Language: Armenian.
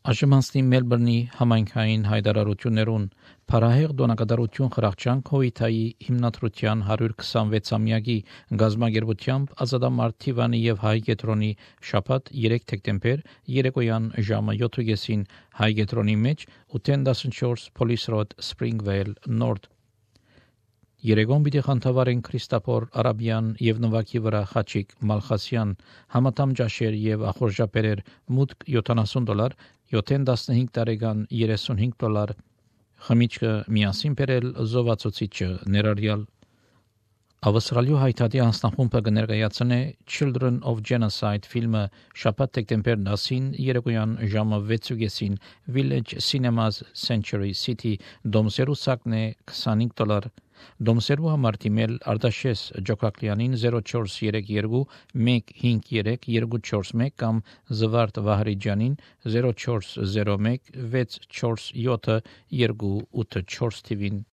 Աշմանցնի Մելբուրնի համայնքային հայտարարություններուն Փարահեղ դոնակատարություն խրախճանք հոյթայի հիմնադրության 126-ամյակի գազագերբությամբ Ազատամարտ Թիվանի եւ Հայ Կետրոնի շաբաթ 3 դեկտեմբեր երեկոյան ժամը 7:30 Հայ Կետրոնի մեջ 814 Police Road Springvale North Երեգոն պիտի խանդավառեն Քրիստոֆոր Արաբյան եւ նվակի վրա Խաչիկ Մալխասյան համատամ ջաշեր եւ ախորժապերեր մուտք $70 7-15 տարեկան $35 խմիչքը միասին բերել զովացուցիչը ներառյալ Ավստրալիա հայտարարի անձնախումբը կներկայացնե Children of Genocide ֆիլմը շաբաթ դեկտեմբեր 10-ին երեկոյան ժամը 6:30 Village Cinemas Century City Դոմսերու սակն է $25 Դոմսերու համար դիմել Արտաշես Ջոկակլյանին 0432 153 241 կամ Զվարթ Վահրիջյանին 0401 647 284 թիվին